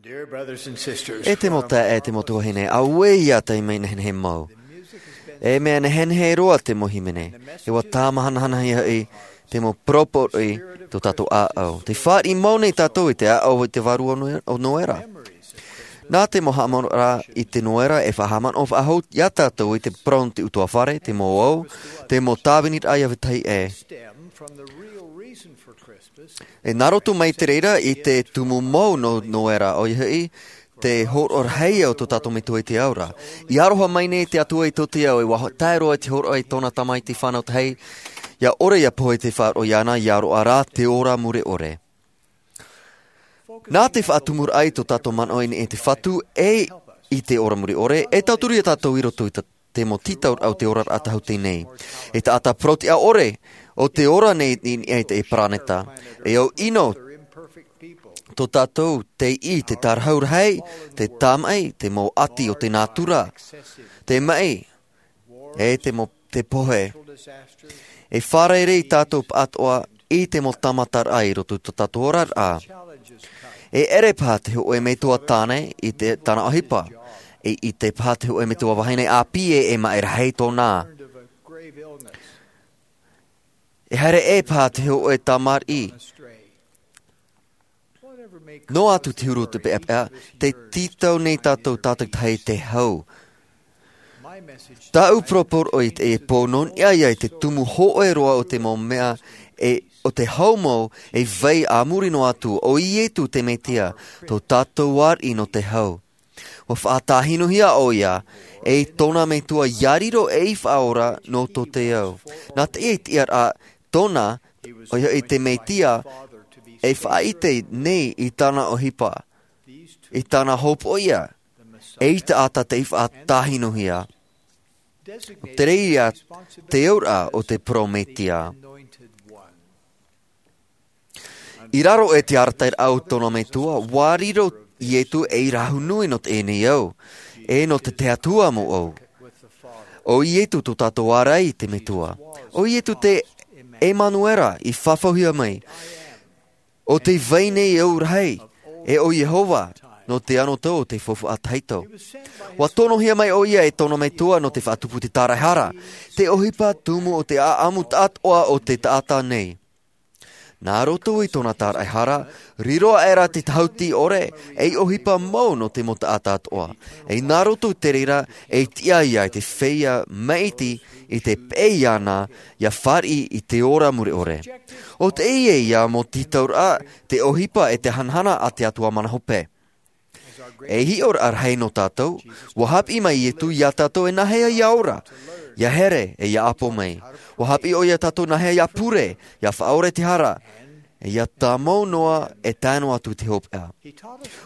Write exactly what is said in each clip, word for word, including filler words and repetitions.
Dear brothers and sisters, e te mau taeaʻe, e te mau tuahine, auē ia taime nehenehe mau. E mea nehenehe roa te mau hīmene. E ʻua tāmahanahana ia hoʻi te mau poroporoʻi tō tātou ʻāʻau. Tē fāriʻi mau nei tātou i te ʻāʻau i te vārua o Noe-, o Noera. Nā te mau haʻamanaʻoraʻa i te Noera e faʻahaʻamanaʻo faʻahou ia tātou i te parau nō te ʻutuāfare, te mau au, te mau tāviniraʻa ia vetahi ʻē. E nā roto mai te reira i te tumu mau nō Noera, ʻoia hoʻi, te hōroʻa rahi o tō tātou Metua i te ao ra. I aroha mai nei te Atua i tō te ao, e ʻua tae roa i te hōroʻa i tōna tamaiti fānau tahi, ʻia ʻore ʻia pohe i te faʻaroʻo iāna, ʻia roaʻa rā te ora mure ʻore. Nā te faʻatumuraʻa i tō tātou manaʻo i niʻa i te Fatu e i te ora mure ʻore, e tauturu ia tātou i roto i te, te mau tītauraʻa o te oraraʻa tāhuti nei. E taʻata parau-tiʻa-ʻore o te ora nei i niʻa i te paraneta. E au ʻino tō tātou teiaha, te tārahu rahi, te tāmaʻi, te mau ʻati o te nātura, te maʻi, e te mau, te pohe. E fārerei tātou pāʻatoʻa i te mau tāmataraʻa i roto i tō tātou oraraʻa. E ʻere paha te hōʻē metua tāne i te, tāna ʻohipa. E ʻite paha te hōʻē metua vahine ʻāpī ē e maʻi rahi tōna. E haere ʻē paha te hōʻē tamariʻi. Noa atu te huru o te peʻapeʻa, tē tītau nei tātou tātaʻitahi i te hau. Tāʻu poroporoʻi i teie pō nō niʻa ia i te tumu hōʻē roa o te mau mea e, o te hau mau e vai a muri noa atu, ʻo Ietu te Mesia, tō tātou ariʻi nō te hau. ʻUa faʻatāhinohia ʻoia e tōna Metua ʻia riro ei Faʻaora nō tō te ao. Nā teie tiʻaraʻa tōna, ʻoia hoʻi te Mesia, e faʻaʻite nei i tāna ʻohipa, i tāna hopoiʻa, ei taʻata tei faʻatāhinohia. Te reira te auraʻa o te Parau Mesia. I raro i te arataʻiraʻa o tōna Metua, ʻua riro Ietu ei rahu nui nō teie nei ao, e nō te, te Atua mau au. ʻO Ietu tō tātou ārai i te Metua. ʻO Ietu te Emanuera i fafauhia mai. ʻO tē vai nei au rahi, e ʻo Iehova, nō te anotau o te faufaʻa tahito. ʻUa tonohia mai ʻoia e tōna Metua nō te faʻatupu i te tāraehara, te ʻohipa tumu o te ʻāʻamu atoʻa o te taʻata nei. Nā roto i tōna tāraehara, riro aʻera te tāhuti ʻore, ei ʻohipa mau nō te mau taʻata atoʻa. E nā roto i te reira, e tiʻa ia i te feiā maʻiti i te peʻe iāna, ʻia fāriʻi i te ora mure ʻore. ʻO teie ia mau tītauraʻa, te ʻohipa e te hanahana a te Atua mana hope. Ei hiʻoraʻa rahi nō tātou, ʻua haʻapiʻi mai Ietu ia tātou e nāhea ʻia ora, ʻia here, e ʻia ʻapo mai. ʻUa haʻapiʻi ʻoia ia tātou nāhea ʻia pure, ʻia faʻaora i te hara, e ʻia tāmau noa, e tae noa atu i te hopeʻa.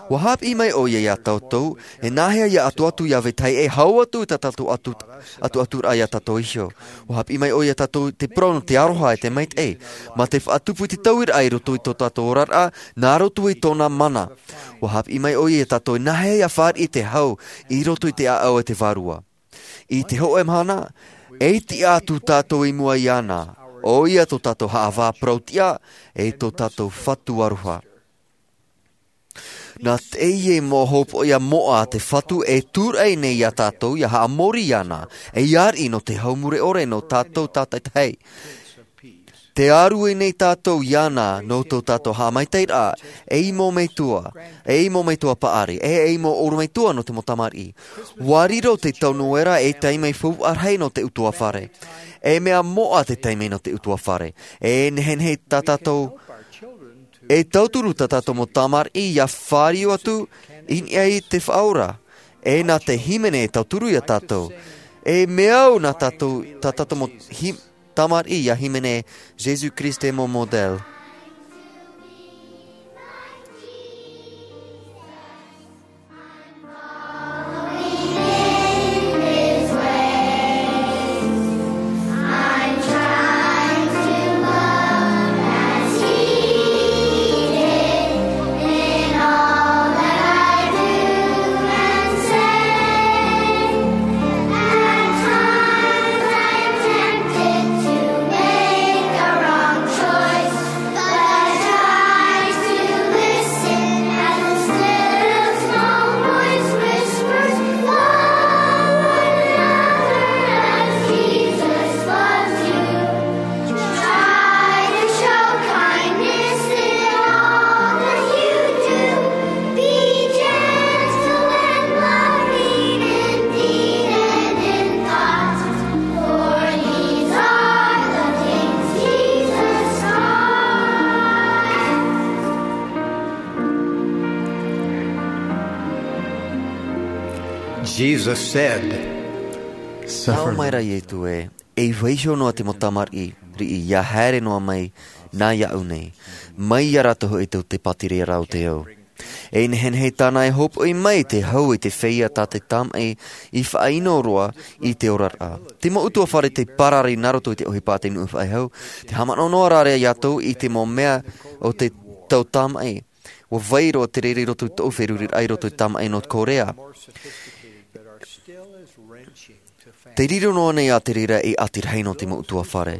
ʻUa haʻapiʻi mai ʻoia ia tātou e nāhea ʻia ʻatuʻatu ʻia vetahi e hau atu i tā tātou atu, ʻatuʻaturaʻa ia tātou iho. ʻUa haʻapiʻi mai ʻoia ia tātou te parau nō te aroha e te maitaʻi, mā te faʻatupu i te tauiraʻa i roto i tō tātou oraraʻa, nā roto i tōna mana. ʻUa haʻapiʻi mai ʻoia ia tātou e nāhea ʻia fāriʻi i te hau i roto i te ʻāʻau e te vārua. I te hōʻē mahana, e tiʻa atu tātou i mua iāna, ʻoia tō tātou haʻavā parau-tiʻa, e tō tātou Fatu aroha. Nā teie mau hopoiʻa moʻa a te Fatu e tūraʻi nei ia tātou ʻia haʻamori iāna, ei ariʻi nō te hau mure ʻore nō tātou tātaʻitahi. Tē ārue nei tātou iāna nō tō tātou haʻamaitaʻiraʻa, ei mau metua, ei mau metua paʻari, e ei mau ʻorometua nō te mau tamariʻi. ʻUa riro te tau Noera ei taime faufaʻa rahi nō te ʻutuāfare. E mea moʻa te taime nō te ʻutuāfare. E nehenehe tā tātou, e tauturu tā tātou mau tamariʻi ʻia fāriu atu i niʻa i te Faʻaora. E nā te hīmene e tauturu ia tātou. E mea au nā tātou, tā tātou mau hī-, tamariʻi ʻia hīmene Jésus-Christ est mon modèle. Jesus said, Tau mai ra Ietu e, ei vaiho noa te mau tamariʻi, riʻi ia haere noa mai nā iaʻu nei, mai ia rātou hoʻi tō te pātireia rā o te ao. E nehenehe tāna e hōpoʻi mai te hau i te feiā tā te tamaʻi i faʻaino roa i te oraraʻa. Te mau utuafare te parari nā roto i te ʻohipa te nuʻu faʻehau, te haʻamanaʻo noa rā rā iā tou i te mau mea o te tau tamaʻi. Ua vai roa te reira i roto i tōʻu feruriraʻa i roto i tamaʻi nō Korea. Te riro noa nei a te reira e ʻati rahi nō te mau utuafare.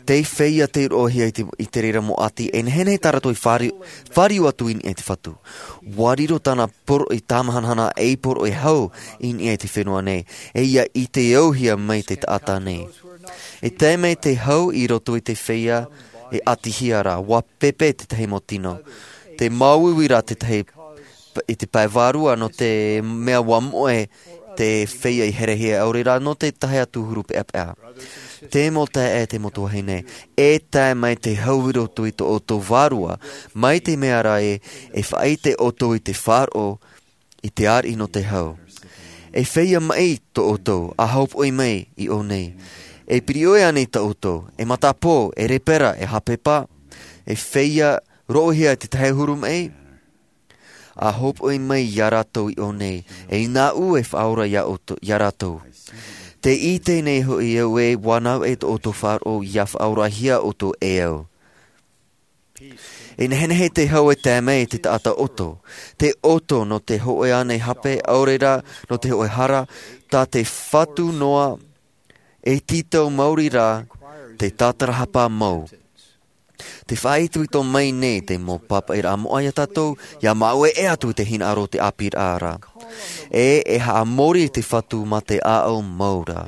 Te feiā te roʻohia i te, i te reira mau ʻati, e nehenehe tā rātou i fāri-, fāriu atu i niʻa i te Fatu. Ua riro tāna poroʻi tāmahanahana ei poroʻi hau i niʻa i te fenua nei, e ia ʻite auhia mai te taʻata nei. E tae mai te hau i roto i te feiā e ʻatihia rā, ua pepe tētahi mau tino. Te māuiui rā tētahi p-, i te pae vārua nō te mea ua moʻe te feiā i herehia ʻaore rā nō te tahi atu huru peʻapeʻa. Te mau taeaʻe, te mau tuahine, e tae mai te hau i roto i tō ʻoutou vārua, mai te mea rā e, e faʻaʻite ʻoutou i te faʻaroʻo i te ariʻi nō te hau. E feiā maʻi tō ʻoutou, a hōpoʻi mai i ʻō nei. E piri ʻoe ānei tā ʻoutou, e matapō, e rēpera, e hāpepa, e feiā roʻohia i te tahi huru maʻi? A hōpoʻi mai ia rātou i ʻō nei, e nāʻu e faʻaora ia ʻoutou, ia rātou. Te ʻite nei hoʻi au e ua nāu e tō ʻoutou faʻaroʻo ia faʻaorahia ʻoutou e au. E nehenehe te hau e tae mai i te taʻata ʻoto. Te ʻoto nō te hōʻē ānei hape, ʻaore rā nō te hōʻē hara, tā te Fatu noa e tītau maori rā te tātarahapa mau. Te faʻaitoito mai nei te mau pāpaʻiraʻa moʻa iā tātou, ia māueʻe atu i te hinaʻaro o te ʻāpīraʻa ra. E, e haʻamori te Fatu mā te ʻāʻau mau ra.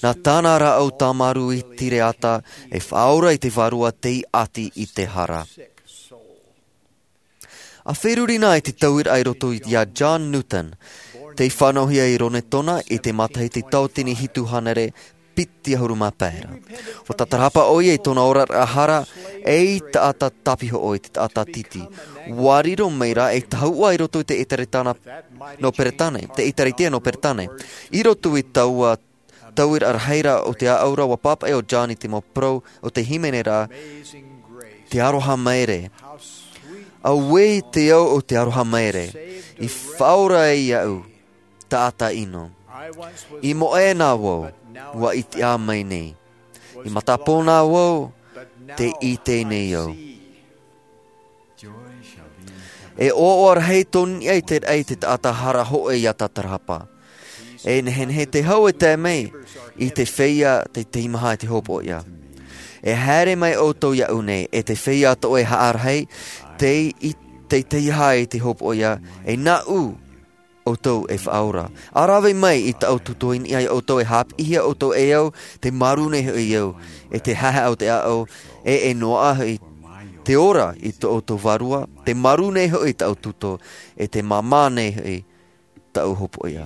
Nā tāna rāʻau tāmarū i tīreata, e faʻaora i te vārua tei ʻati i te hara. A feruri na i te tauiraʻa i roto iā John Newton, tei fānauhia i Ronetona i te matahiti tauatini hitu hānere piti ʻahuru mā pae ra. Ua tātarahapa ʻoia i tōna oraraʻa hara, ei taʻata tāpihoʻo, i te taʻata titi. Ua riro mai rā ei tahuʻa i roto i te ʻētaretia nō Peretāne, te ʻētaretia nō Peretāne. I roto i taua tauiraʻa rahi ra o te ʻāʻau ra, ua pāpaʻi ʻo John i te mau parau o te hīmene ra, te aroha maere. Auē te ao o te aroha maere, i faʻaora ai iāʻu, taʻata ʻino. I moʻe na vau, ua ʻite ā mai nei. I matapō na vau, tē ʻite nei au. E ʻoaʻoa rahi tō niʻa i te raʻi te taʻata hara hōʻē ia tātarahapa. E nehenehe te hau e tae mai i te feiā tei teimaha i te hōpoiʻa. E haere mai ʻoutou iāʻu nei, e te feiā atoʻa e haʻarahi, tei, tei teiaha i te hōpoiʻa, e nāʻu ʻoutou e faʻaora. A rave mai i tāʻu tuto i niʻa iā ʻoutou, e haʻapiʻihia ʻoutou e au, tē marū nei hoʻi au, e te haʻehaʻa o te ʻāʻau, e, e noaʻa hoʻi te ora i tō ʻoutou vārua, tē marū nei hoʻi tāʻu tuto, e tē māmā nei hoʻi tāʻu hōpoiʻa.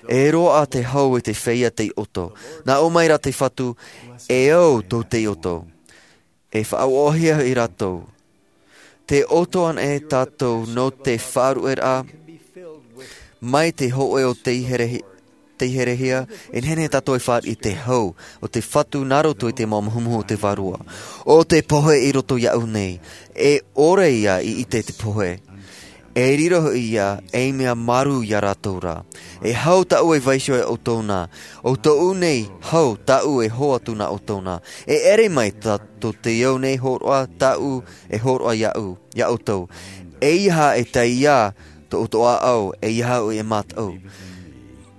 E roaʻa te hau i te feiā tei ʻoto. Nā ʻō mai rā te Fatu, e au tō tei ʻoto. E faʻaʻoaʻoahia hoʻi rātou. Tē ʻoto ana e tātou nō te faʻaruʻeraʻa, mai te hōʻē o tei here-, tei herehia, e nehenehe tātou e fāriʻi i te hau o te Fatu nā roto i te mau muhumuhu o te vārua. ʻO te pohe i roto iāʻu nei, e ʻore ia i ʻite te pohe. E riro hoʻi ia ei mea marū iā rātou rā. E hau tāʻu e vaiiho iā ʻoutou na, ʻo tōʻu nei hau tāʻu e hō atu nā ʻoutou na. E ʻere mai tā, tō te au nei hōroʻa tāʻu e hōroʻa iāʻu, iā ʻoutou. ʻEiaha e taiā tō ʻoutou ʻāʻau, ʻeiaha hoʻi e mātaʻu.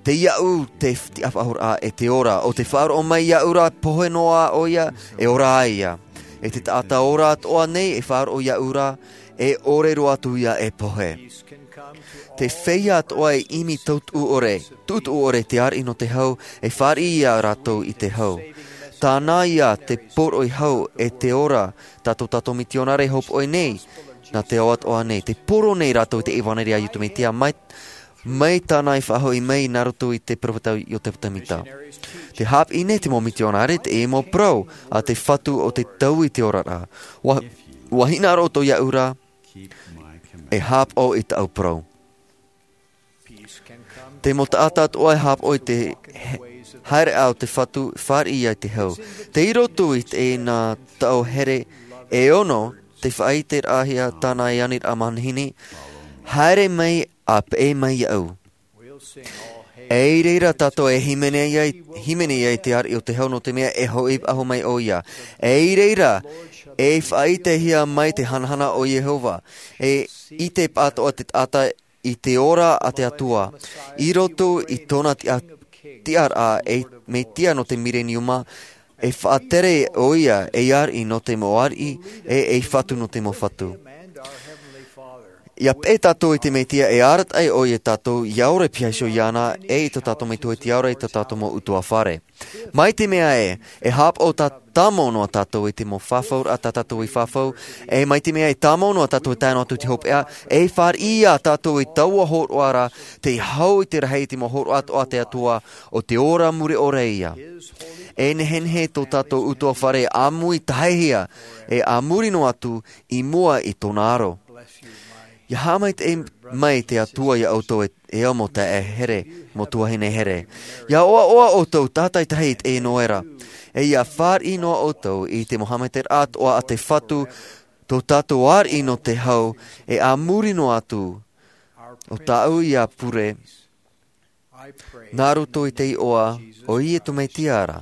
Tei iāʻu te tiʻafaʻahoraʻa e te ora, ʻo tē faʻaroʻo mai iāʻu ra, pohe noa ʻoia, e ora ai ia. E te taʻata ora atoʻa nei e faʻaroʻo iāʻu ra, e ʻore roa atu ia e pohe. Te feiā atoʻa e ʻimi tautuʻu ʻore, tuʻutuʻu ʻore te ariʻi nō te hau, e fāriʻi ia rātou i te hau. Tāna ia te poroʻi hau e te ora, tā tō tātou mitionare e hōpoʻi nei, nā te ao atoʻa nei, tē poro nei rātou i te ʻevaneria a Iesu Mesia mai, mai tāna i faʻahoʻi mai nā roto i te peropheta Iosefa Sāmita. Tē haʻapiʻi nei te mau mitionare i te mau parau a te Fatu ʻo tē taui i te oraraʻa. ʻUa, ʻua hinaʻaro ʻoutou iāʻu ra, e haʻapaʻo i tāʻu parau. Te mau taʻata atoʻa e hāpaʻo i te haereʻa o te Fatu, fāriʻi ia i te hau. Tei roto i teie nā tau here e ono, te faʻaʻiteraʻahia tāna i aniraʻa manihini, haere mai ā peʻe mai iāʻu. E i reira tātou e hīmene ai, hīmene ai te ariʻi o te hau nō te mea e hoʻi faʻahou mai ʻoia. E i reira e faʻaʻitehia mai te hanahana o Iehova. E ʻite paʻatoʻa te taʻata i te ora a te Atua i roto i tōna tiʻa-, tiʻaraʻa ei Mesia nō te Mireniuma, e faʻatere ʻoia ei ariʻi nō te mau ariʻi, e ei Fatu nō te mau fatu. ʻIa peʻe tātou i te Mesia, e arataʻi ʻoia ia tātou ʻia ora i te piha iho iāna, e i tō tātou Metua i te ao ra, i tō tātou mau ʻutuāfare. Mai te mea ē, e hāpaʻo tā-, tāmau noa tātou i te mau fafauraʻa tā tātou i fafau, e mai te mea e tāmau noa tātou e tae noa atu i te hopeʻa, e fāriʻi ia tātou i taua hōroʻa ra, tei hau i te rahi i te mau hōroʻa atoʻa a te Atua, ʻo te ora mure ʻore ia. E nehenehe tō tātou ʻutuāfare ʻāmui taʻahia, e a muri noa atu i mua i tōna aro. ʻIa haʻamaitaʻi mai te Atua ia ʻoutou e, e au mau taeaʻe here, mau tuahine here. ʻIa ʻoaʻoa ʻoutou tātaitahi i teie noera. E ʻia fāriʻi noa ʻoutou i te mau haʻamaitaʻiraʻa atoʻa a te Fatu, tō tātou ariʻi nō te hau, e a muri noa atu, ʻo tāʻu ia pure, nā roto i te iʻoa o Iesu Mesia ra.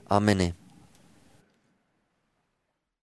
ʻĀmene.